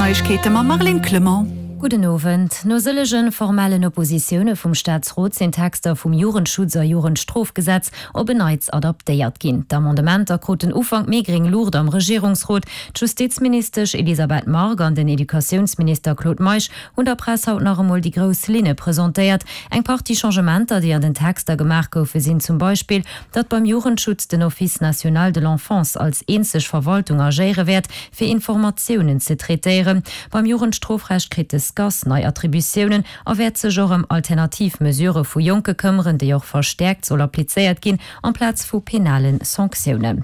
Neiegkeete mam Marlene Clement. Gudden Owend. No sëllege formellen Oppositioune vum Staatsrot sinn d'Texter vum Jugendschutz a Jugendstrofgesetz op en Neits adaptéiert ginn. D'Amendementer kruten Ufank Mee gréng Luucht am Regierungsrot. D'Justizministesch Elisabeth Margue an den Educatiounsminister Claude Meisch hunn der Press haut nach emol déi grouss Linne presentéiert. Eng Partie Changementer, déi an den Texter gemaach goufe sinn zum Beispill, datt beim Jugendschutz den Office national de l'enfance als eenzeg Verwaltung agéiere wäert, fir Informatiounen ze traitéieren. Beim Jugendstrofrecht kritt de SCAS nei Attributiounen a wäert sech och ëm alternativ Mesurë vu Jonke këmmeren, déi och verstäerkt soll applizéiert ginn amplaz vu penale Sanktiounen.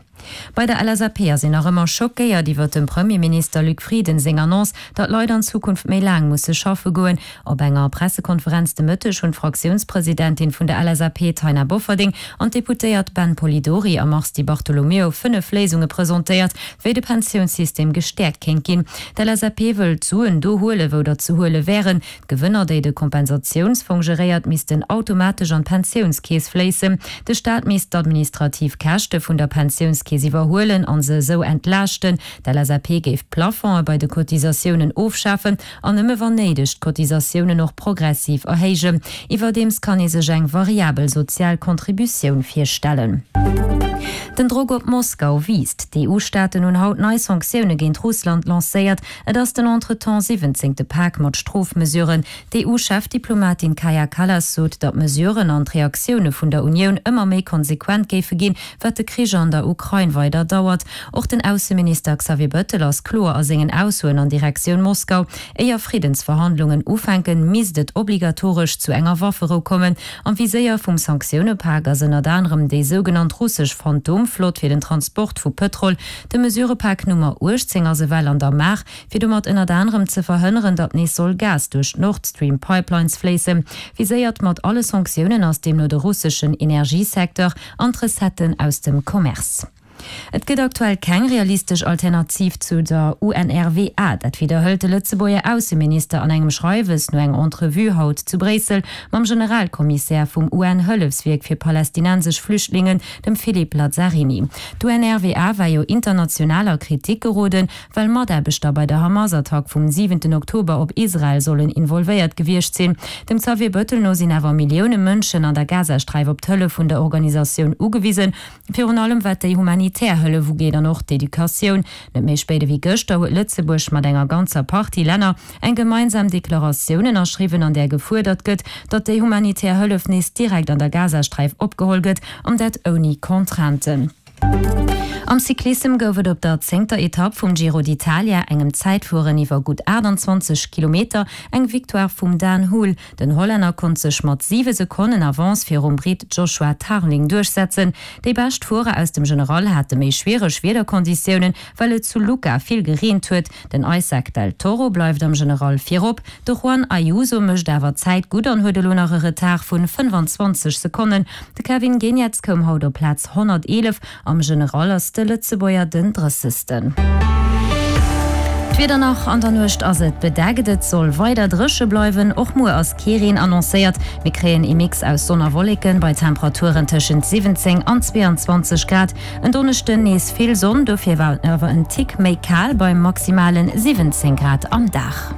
Bei der LSAP ass een nach ëmmer schockéiert iwwert dem Premierminister Luc Frieden seng Annonce, datt Leit an Zukunft méi laang musse schaffe goen. Op enger Pressekonferenz de Mëtteg hunn d'Fraktiounspresidentin vun der LSAP Taina Bofferding an d'Deputéiert Ben Polidori a Mars Di Bartolomeo 5 Léisunge presentéiert, wéi de Pensiounssystem gestäerkt kéint ginn. D'LSAP wëll d'Suen do huelen, wou der ze huele wären. D'Gewënner, déi de Kompensatiounsfong geréiert, missten automatesch an d'Pensiounskeess fléissen. De Staat misst d'administrativ Käschte vun der Pensiounskeess iwwerhuelen a se esou entlaaschten. D'LSAP géif d'Plafonge bei de Cotisatiounen ofschafen an nëmme wann néideg d'Cotisatiounen och progressiv erhéijen. Iwwerdeems kann ee sech eng variabel sozial Contributioun virstellen. Den Drock op Moskau wiisst. D'EU-Staaten hunn haut nei Sanktioune géint Russland lancéiert. Et ass den entretemps siwwenzéngte Pak mat Strofmesuren. D'EU-Chefdiplomatin Kaja Kallas sot, datt d'Mesuren an d'Reaktioune vun der Unioun ëmmer méi konsequent géife ginn, wat de Krich an der Ukrain weider dauert. Och den Ausseminister Xavier Bëttel ass kloer a sengen Aussoen an Direktioun Moskau. Éier Friddensverhandlungen ufänken, misst et obligatoresch zu enger Wafferou kommen. Am Viséier vum Sanktioune-Pak ass ënnert anerem déi sougenannt russesch Phantomflott fir den Transport vu Pëtrol, De Mesurëpak Nummer 18 ass ewell an der Maach, fir domat ënnert anerem ze verhënneren, datt nees soll Gas duerch d'Nord Stream Pipelines fléissen. Viséiert mat alle Sanktiounen ass deemno de russeschen Energiesecteur an d'Recetten aus dem Commerce. Et gëtt aktuell keng realistesch Alternativ zu der UNRWA. Dat widderhëlt de Lëtzebuerger Ausseminister an engem Schreiwes no enger Entrevue haut zu Bréissel mam Generalkommissär vum UN-Hëllefswierk fir palästinensesch Flüchtlingen, dem Philippe Lazzarini. D'UNRWA war jo international a Kritik geroden, well Mataarbechter bei der Hamas-Attack vum siwenten Oktober op Israel sollen involvéiert gewiescht sinn. Dem Xavier Bettel no sinn awer Millioune Mënschen an der Gazasträif op d'Hëllef vun der Organisatioun ugewisen, virun allem wat déi humanitär Hëllef ugeet an och d'Educatioun. Net méi spéit ewéi gëschter huet Lëtzebuerg mat enger ganzer Partie Länner eng gemeinsam Deklaratioun ënnerschriwwen, an där gefuerdert gëtt, datt déi humanitär Hëllef nees direkt an der Gazasträif opgeholl gëtt, an dat ouni Contrainten. Am Cyclissem gouf et op der zéngter Etapp vum Giro d'Italia, engem Zäitfueren iwwer gutt 28 Kilometer, eng Victoire vum Dan Hool. Den Hollänner konnt sech mat 7 Sekonnen Avance virum Britt Joshua Tarling duerchsetzen. Déi bescht Fuerer aus dem General hate méi schwiereg Wiederkonditiounen, well et zu Lucca vill gereent huet. Den Isaac del Toro bleift am General virop, de Juan Ayuso mécht awer Zäit gutt an huet elo nach e Retard vun 25 Sekonnen. De Kevin Geniets koum haut op Plaz 111, am General ass de Lëtzebuerger den Drëssegsten. D'Wieder nach, An der Nuecht ass et bedeckt, et soll weider dréche bleiwen. Och muer ass kee Reen annoncéiert. Mir kréien ee Mix aus Sonn a Wolleken bei Temperaturen tëschent 17 an 22 Grad. En Donneschden nees vill Sonn, dofir awer en Tick méi kal bei maximalen 17 Grad am Dag.